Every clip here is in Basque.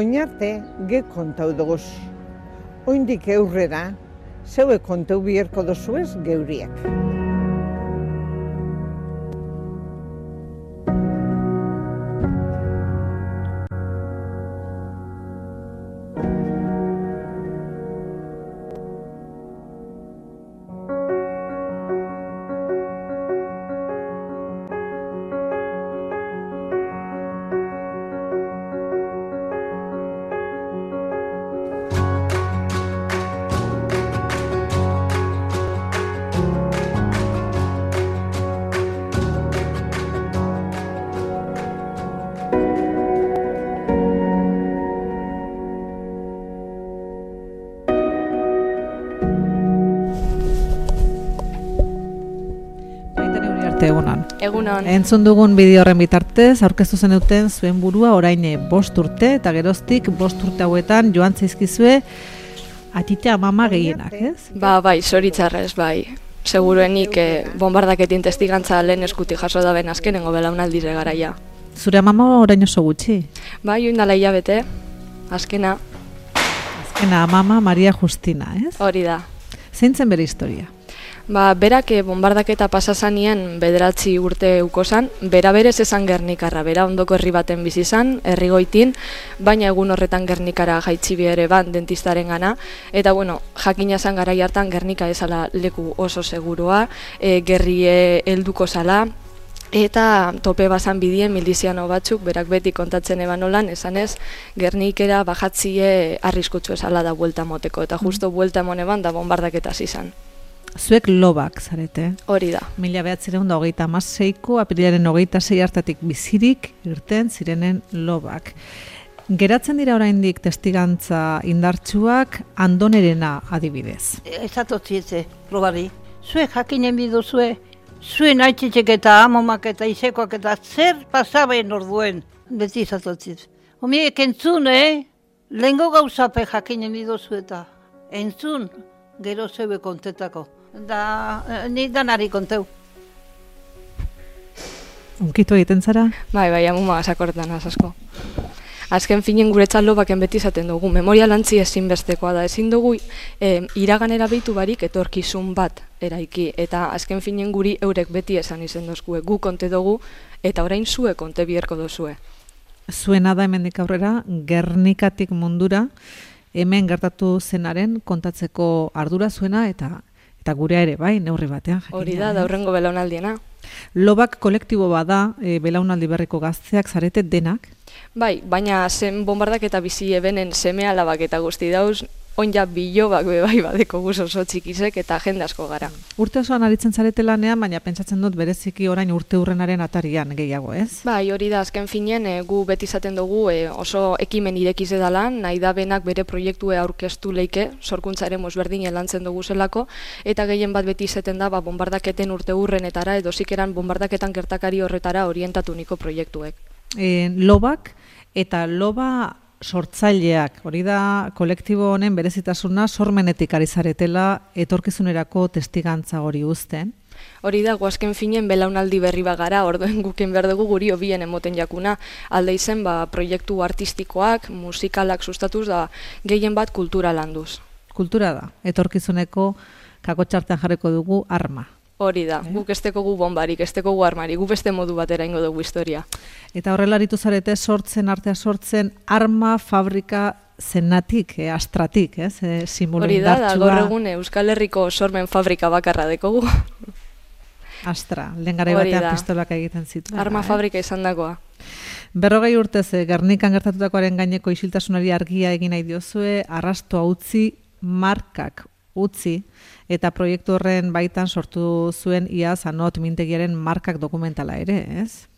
oinarte ge kontau doguz. Oindik eurrera, zeue kontau bierko dozuez geuriak. Egunon. Entzun dugun bideo horren bitartez, aurkeztu zenuten zuen burua orain 5 urte, eta geroztik 5 urte hauetan joan zaizkizue atite amama gehienak, ez? Bai, zoritzarrez, bai. Seguruenik bombardaketin testigantza lehen eskuti jaso da ben azkenengo belaunaldire garaia. Zure amama orain oso gutxi? Bai, oindala hilabete, azkena. Azkena amama Maria Justina, ez? Hori da. Zein zen bere historia? Berak bombardaketa pasazanien 9 urte ukozan, bera berez esan Gernikarra, bera ondoko herri baten bizi izan, herrigoitin, baina egun horretan Gernikara jaitsi ere ban dentistaren gana, eta jakina zan garai hartan Gernika ezala leku oso segurua, gerrie helduko zala, eta tope bazan bidien miliziano batzuk, berak beti kontatzen eban olan, esanez, Gernikera bajatzie arriskutsu esala da buelta moteko, eta justo buelta moneban da bombardaketa izan. Zuek lobak zarete. Hori da. 1926ko apirilaren 26 hartatik bizirik irten zirenen lobak. Geratzen dira oraindik testigantza indartsuak Andonerena adibidez. Ezatotzietze, probari. Zuek jakinen biduzue, zuen aitzitzek eta amomak eta izekoak eta zer pasaben orduen. Beti ezatotzitz. Homiek entzun, lehengo gauzape jakinen biduzu eta entzun, gero zeue kontetako. Da, ni danari konteu. Unkitu egiten zara? Bai, amuma gazakortan asko. Azken finen guretzat lobaken beti izaten dugu. Memoria lantzi ezinbestekoa da. Ezin dugu iraganera behitu barik etorkizun bat eraiki. Eta azken finen guri eurek beti esan izen dozkue. Gu konte dugu eta orain zue konte bierko dozue. Zuena da hemendik aurrera, Gernikatik mundura, hemen gertatu zenaren kontatzeko ardura zuena eta gurea ere bai, neurri batean. Hori da aurrengo belaunaldiena. Lobak kolektibo bada, belaunaldi berriko gazteak zarete denak? Bai, baina zen bombardaketa bizi ebenen seme alabak eta guzti dauz, onja bilobak bai badeko guz oso txikizek eta jende asko gara. Urte osoan aritzen zarete lanean, baina pentsatzen dut bereziki orain urte hurrenaren atarian gehiago, ez? Bai, hori da, azken finen, gu beti izaten dugu oso ekimen irekize dalan, nahi da benak bere proiektue aurkeztu leike, sorkuntza ere mozberdin lantzen dugu zelako, eta gehien bat beti izaten da bombardaketen urte hurrenetara, edo zikeran bombardaketan gertakari horretara orientatu niko proiektuek. Lobak eta loba sortzaileak, hori da kolektibo honen berezitasuna sormenetik ari zaretela etorkizunerako testigantza hori uzten. Hori da, guazken finen belaunaldi berri bagara, orduen guken behar dugu guri hobien emoten jakuna, alde izen proiektu artistikoak, musikalak sustatuz da gehien bat kultura landuz. Kultura da, etorkizuneko kakotxartean jarriko dugu arma. Hori da, guk esteko gu bombarik, esteko gu armari, gu beste modu batera ingo dugu historia. Eta horrela aritu zarete artea sortzen arma fabrika zenatik, astratik, simbolo indartsua. Hori da, gaur egun Euskal Herriko sormen fabrika bakarra dekogu. Astra, lehen garai batean pistolak egiten zitu. Arma fabrika izan dagoa. 40 urtez, Gernikan gertatutakoaren gaineko isiltasunari argia egin nahi diozue, arrastoa utzi, markak utzi, eta proiektu horren baitan sortu zuen iaz Anot mintegiaren markak dokumentala ere, ez?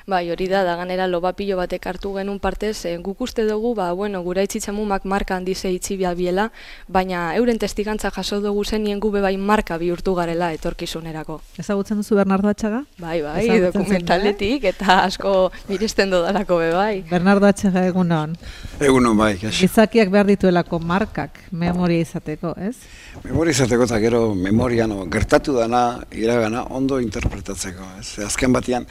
Bai, hori da ganera lobapilo batek hartu genuen partez, guk uste dugu, gura itzitzamumak marka handize itxibia biela, baina euren testigantza jaso dugu zenien gube bai marka bihurtu garela etorkizunerako. Ezagutzen duzu Bernardo Atxaga? Bai, dokumentaletik eta asko miresten dodalako bai. Bernardo Atxaga egunon. Egunon bai. Gizakiak behar dituelako markak memoria izateko, ez? Memoria izateko eta gero memorian gertatu dana, iragana ondo interpretatzeko, ez? Azken batean,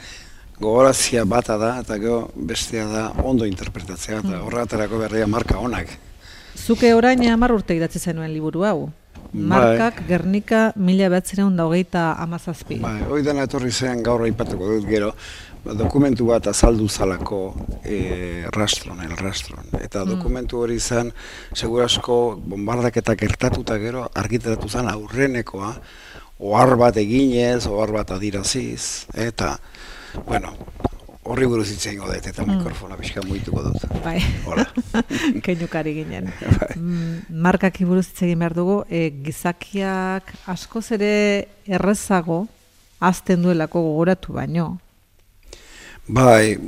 gogorazia bata da, eta gero bestea da ondo interpretatzea, eta horretarako berria marka onak. Zuke orain 10 urte idatzi zenuen liburu hau. Markak Gernika 1927. Bai, hori dena etorri zen gaur aipatuko dut gero, dokumentu bat azaldu zalako rastron. Eta dokumentu hori zen, segurasko bombardaketak gertatuta gero, argitaratu zen aurrenekoa, ohar bat eginez, ohar bat adiraziz, eta, bueno, horri buruz hitz egingo dut, eta mikrofona pixka muituko dut. Bai, Hola. Keinukari ginen. Markak buruz hitz egin behar dugu, gizakiak askoz ere errezago hazten duelako gogoratu baino. Bai,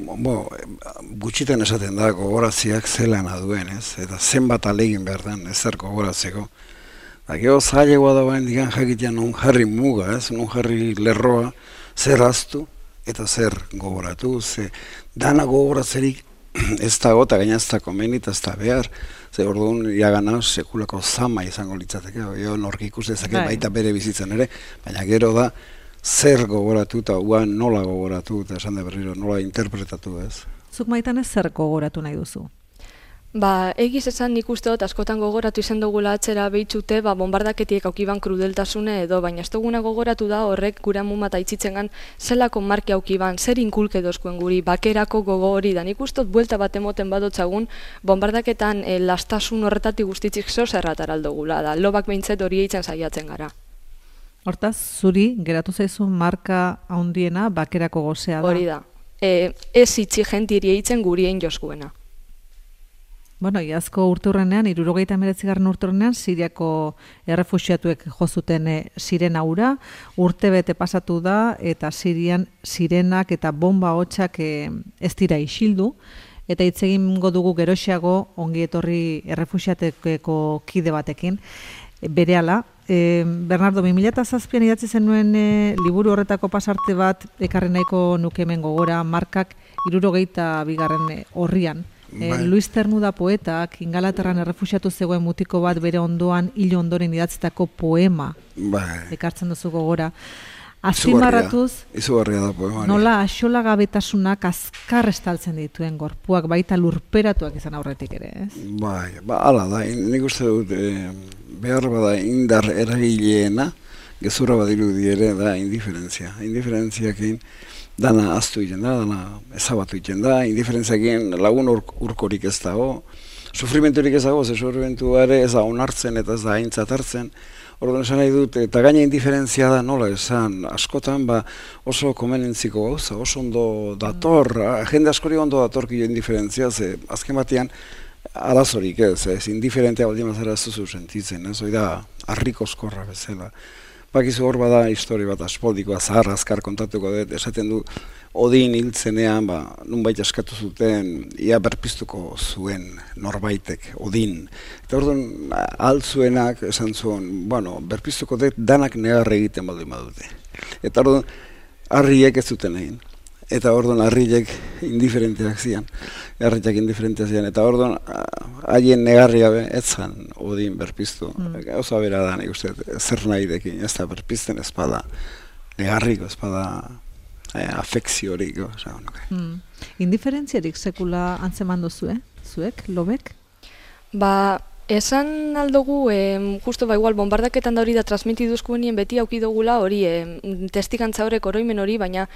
gutxitan esaten da gogoraziak zelana duen, ez? Eta zenbat alegin behar den ezer gogoratzeko. Gero zailegoa da bain digan jakitea non jarri muga, ez? Non jarri lerroa, zer haztu eta zer gogoratu, ze dana gogoratzerik ez dago eta gaina ez da komeni eta ez da behar, ze orduan iagana sekulako zama izango litzateke, nork ikus dezake baita bere bizitzen ere, baina gero da zer gogoratu eta nola gogoratu eta esan da berriro nola interpretatu, ez? Zuk Maitan ez zer gogoratu nahi duzu? Egiz esan nik uste dut askotan gogoratu izan dugula atzera behitzute, bombardaketiek aukiban krudeltasune edo, baina ez duguna gogoratu da horrek gura mumata itzitzengan zelako marki aukiban, zer inkulke dozkuen guri, bakerako gogo hori da. Nik uste dut buelta bat emoten badotzagun, bombardaketan lastasun horretatik guztitzik zo zerrataraldo gula da, lobak behintzet hori eitzen saiatzen gara. Hortaz, zuri geratu zaizu marka handiena bakerako gozea da. Hori da, ez itxi jentiri eitzen gurien joskuena. Bueno, iazko urteurrenean, 79. urteurrenean, Siriako errefuxiatuek jozuten sirena ura, urtebete pasatu da, eta Sirian sirenak eta bomba hotxak ez dira isildu, eta hitz egingo dugu geroxeago ongi etorri errefuxiateko kide batekin, berehala. Bernardo, 2007an idatzi zenuen liburu horretako pasarte bat ekarri nahiko nuke hemen gogora, Markak 72. Horrian. Luis Ternuda poetak Ingalaterran errefuxiatu zegoen mutiko bat bere ondoan hil ondoren idatzitako poema ekartzen duzu gogora. Azpimarratuz, izugarria da poema. Nola axolagabetasunak azkar estaltzen dituen gorpuak baita lurperatuak izan aurretik ere, ez? Hala da, nik uste dut behar bada indar eragileena, gezurra badirudi ere da indiferentzia. Indiferentziakin dana aztu egiten da, dana ezabatu egiten da, indiferentziakin lagun urkorik ez dago, sufrimenturik ez dago, ze sufrimentuare ez da onartzen eta ez da aintzat hartzen. Orduan esan nahi dut, eta gaina indiferentzia da nola esan, askotan oso komenentziko gauza, oso ondo dator, jende askori ondo datorkio indiferentzia, ze azken batean arazorik ez, indiferentea baldin mazera ez duzu sentitzen, ez, hori da, harrikozkorra bezala. Bakizu hor bada histori bat aspaldikoa zahar azkar kontatuko dut, esaten du Odin hiltzenean, nunbait askatu zuten, ia berpiztuko zuen norbaitek, Odin. Eta orduan, altzuenak esan zuen, berpiztuko dut danak negarre egiten baldin badute. Eta orduan, harriek ez zuten egin. Eta orduan, harriek indiferenteak zian. Eta orduan, haien negarri gabe, ez zan Odin berpiztu. Gauza bera da, nik uste, zer nahi dekin, ez da berpizten ezpada, negarriko ezpada, afekziorik. Indiferentziarik sekula antzeman duzue, zuek, lobek? Esan aldugu, justo igual bombardaketan da hori da transmitiduzkuenien beti aukidogula hori, testikantza horrek oroimen hori, baina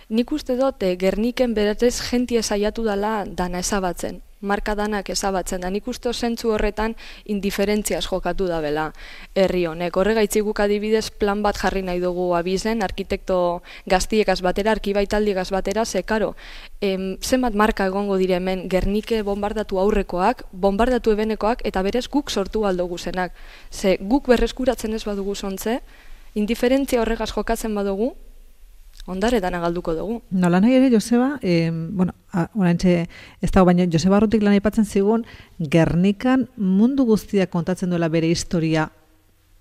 nik uste dut Gerniken beratez jentie saiatu dala dana ezabatzen. Marka danak ezabatzen da, nik uste zentzu horretan indiferentziaz jokatu da bela herri honek. Horregaitzik guk adibidez plan bat jarri nahi dugu abizen, arkitekto gaztiekaz batera, arkibaitaldiegaz batera, ze karo, zenbat marka egongo dire hemen Gernike bombardatu aurrekoak, bombardatu ebenekoak, eta berez guk sortu aldugu zenak. Ze guk berreskuratzen ez badugu zontze, indiferentzia horregaz jokatzen badugu, ondare dana galduko dugu. Nola nahi ere, Joseba, oraintxe ez dago, baina Joseba Arrutik lan aipatzen zigun, Gernikan mundu guztiak kontatzen duela bere historia,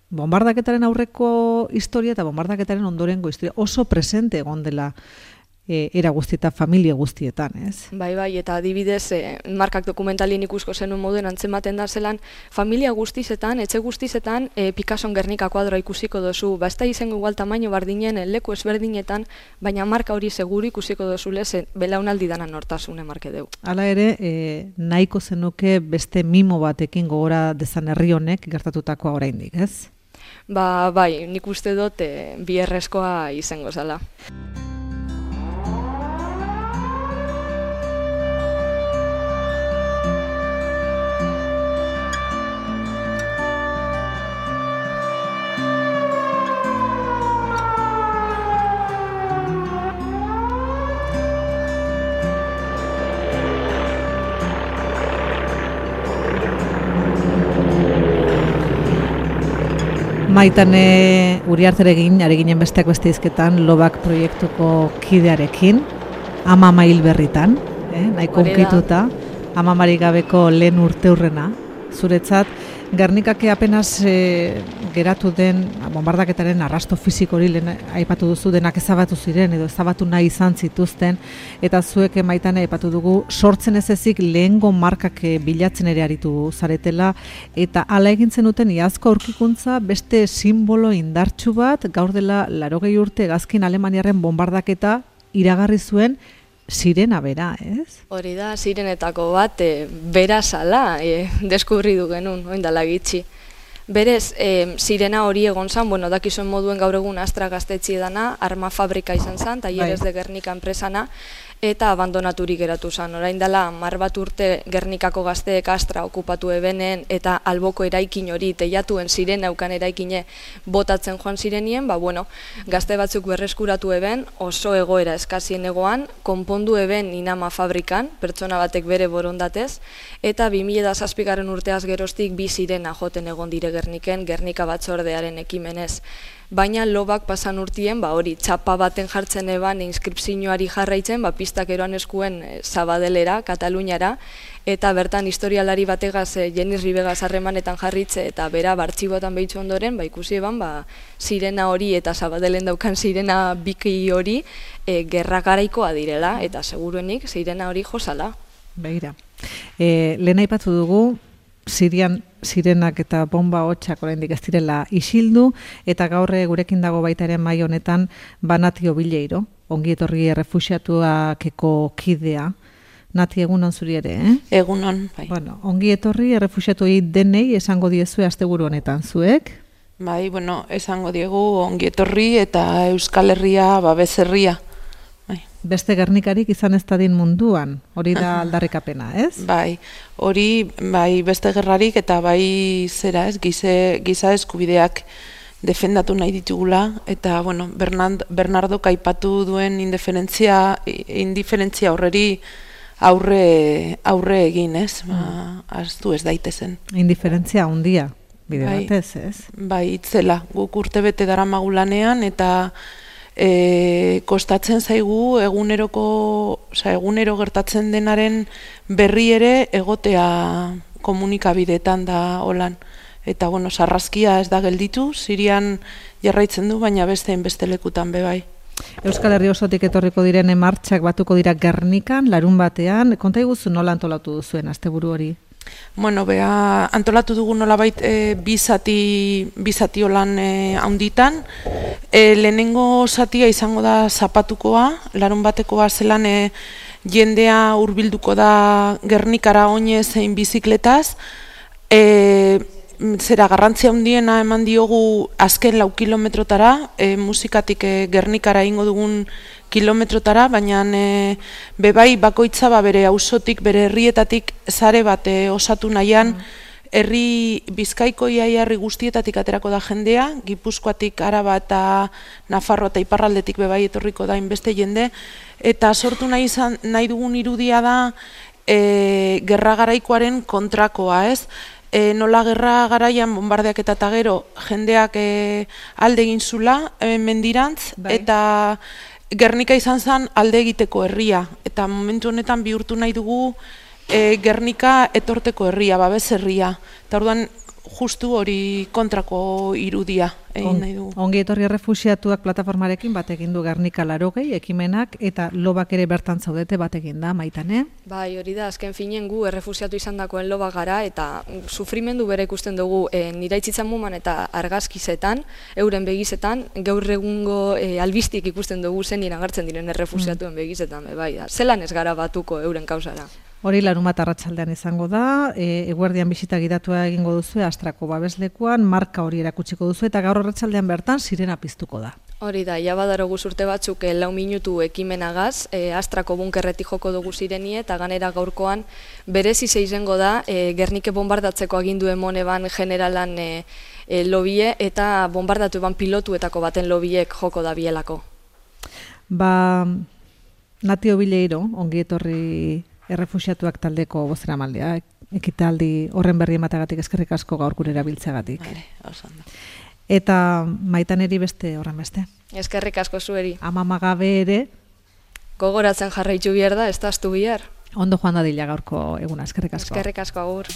bombardaketaren aurreko historia eta bombardaketaren ondorengo historia, oso presente egon dela era guztietan, familia guztietan, ez? Bai, eta adibidez, markak dokumentalien ikusko zenun moduen antzematen da zelan, familia guztizetan, etxe guztizetan, Picasson Gernika kuadroa ikusiko dozu, ez da izango igual tamaino bardinen, leku ezberdinetan, baina marka hori seguru ikusiko dozu leze, belaunaldi dana nortasune marke deu. Hala ere, nahiko zenuke beste mimo batekin gogora dezan herri honek gertatutakoa oraindik, ez? Bai, nik uste dut bi errezkoa izango zala. Maitane Uriarterekin, ari ginen besteak beste izketan, Lobak proiektuko kidearekin, Ama hil berritan, nahiko unkituta, Amamarik gabeko lehen urteurrena. Zuretzat, Gernikake apenas geratu den bombardaketaren arrasto fisiko hori lehen aipatu duzu, denak ezabatu ziren edo ezabatu nahi izan zituzten, eta zuek Maitane aipatu dugu sortzen ez ezik lehengo markak bilatzen ere aritu zaretela, eta hala egin zenuten iazko aurkikuntza beste simbolo indartsu bat, gaur dela 80 urte hegazkin Alemaniaren bombardaketa iragarri zuen sirena bera, ez? Hori da, sirenetako bat, bera zala, deskubri du genuen, oindala gitxi. Berez, sirena hori egon zan, dakizuen moduen gaur egun Astra gaztetxe dana, arma fabrika izan zan, Talleres de Gernika enpresana, eta abandonaturik geratu zan. Orain dela, 10 urte Gernikako gazteek Astra okupatu ebenen, eta alboko eraikin hori, teiatuen sirena eukan eraikine botatzen joan zirenien, gazte batzuk berreskuratu eben, oso egoera eskazien egoan, konpondu eben inama fabrikan, pertsona batek bere borondatez, eta 2007 urteaz geroztik bi sirena joten egon dire Gerniken, Gernika batzordearen ekimenez. Baina Lobak pasan urtien, hori txapa baten jartzen eban inskripzioari jarraitzen, pistak eroan eskuen Zabadelera, Kataluniara, eta bertan historialari bategaz Jenis Ribegaz harremanetan jarritze eta bera bartxibotan behitzu ondoren, ikusi eban, sirena hori eta Zabadelen daukan sirena biki hori gerra garaikoa direla, eta seguruenik sirena hori josala. Begira, lehen aipatu dugu, Sirian sirenak eta bomba hotxak oraindik ez direla isildu, eta gaur gurekin dago baita ere mai honetan Nati Obileiro, ongi etorri errefuxiatuakeko kidea. Nati, egunon zuri ere, Egunon, bai. Ongi etorri errefuxiatuei denei esango diezue asteburu honetan zuek? Bai, esango diegu ongi etorri eta Euskal Herria babes-herria. Beste Gernikarik izan ez dadin munduan, hori da aldarrikapena, ez? Bai, hori beste gerrarik eta giza eskubideak defendatu nahi ditugula, eta Bernardo aipatu duen indiferentzia horreri aurre egin, ez? Ahaztu ez daitezen. Indiferentzia handia, bide batez, ez? Bai, itzela, guk urtebete daramagulanean, eta kostatzen zaigu egunero gertatzen denaren berri ere egotea komunikabideetan da holan. Eta sarraskia ez da gelditu, Sirian jarraitzen du, baina beste lekutan bai. Euskal Herri osotik etorriko diren martxak batuko dira Gernikan, larun batean, konta iguzu nola antolatu duzuen asteburu hori? Antolatu dugu nolabait bizati holan haunditan. Lehenengo zatia izango da zapatukoa, larun batekoa zelan jendea hurbilduko da Gernikara oinez zein bizikletaz. Garrantzia handiena eman diogu azken 4 kilometrotara, musikatik Gernikara ingo dugun kilometrotara, baina bebai bakoitza bere auzotik, bere herrietatik sare bat osatu nahian, herri Bizkaiko herri guztietatik aterako da jendea, Gipuzkoatik, Araba eta Nafarroa eta iparraldetik bebai etorriko da inbeste jende, eta sortu nahi dugun irudia da gerra garaikoaren kontrakoa, ez? Nola gerra garaian bombardeak eta gero jendeak alde egin zula mendirantz, eta Gernika izan zen alde egiteko herria, eta momentu honetan bihurtu nahi dugu Gernika etorteko herria, babes herria. Eta orduan justu hori kontrako irudia egin nahi dugu. Ongi etorri errefuxiatuak plataformarekin bat egin du Gernika 80 ekimenak eta lobak ere bertan zaudete bat egin da, Maitane? Bai, hori da, azken finen gu errefusiatu izandakoen lobak gara eta sufrimendu bere ikusten dugu niraitzitzan muman eta argazkizetan, euren begizetan, gaur egungo albistik ikusten dugu zen iragartzen diren errefusiatuen begizetan, bai, zelan ez gara batuko euren kausara. Hori larunbat arratsaldean izango da, eguerdian bisita gidatua egingo duzu Astrako babeslekuan, marka hori erakutsiko duzu eta gaur arratsaldean bertan sirena piztuko da. Hori da, ja badarogu urte batzuk 4 minutu ekimenagaz, Astrako bunkerretik joko dugu sirenie eta ganera gaurkoan berezi izango da Gernike bombardatzeko agindu emon eban generalan lobie eta bombardatu eban pilotuetako baten lobiek joko da bielako. Ba, Nati Obileiro, ongi etorri errefuxiatuak taldeko bozeramaldea, ekitaldi horren berri ematagatik eskerrik asko gaur gure erabiltzeagatik. Eta Maitaneri beste horren beste. Eskerrik asko zueri. Amamagabe ere. Gogoratzen jarraitu bihar da, ez da astu bihar. Ondo joan dadila gaurko eguna, eskerrik asko. Eskerrik asko agur.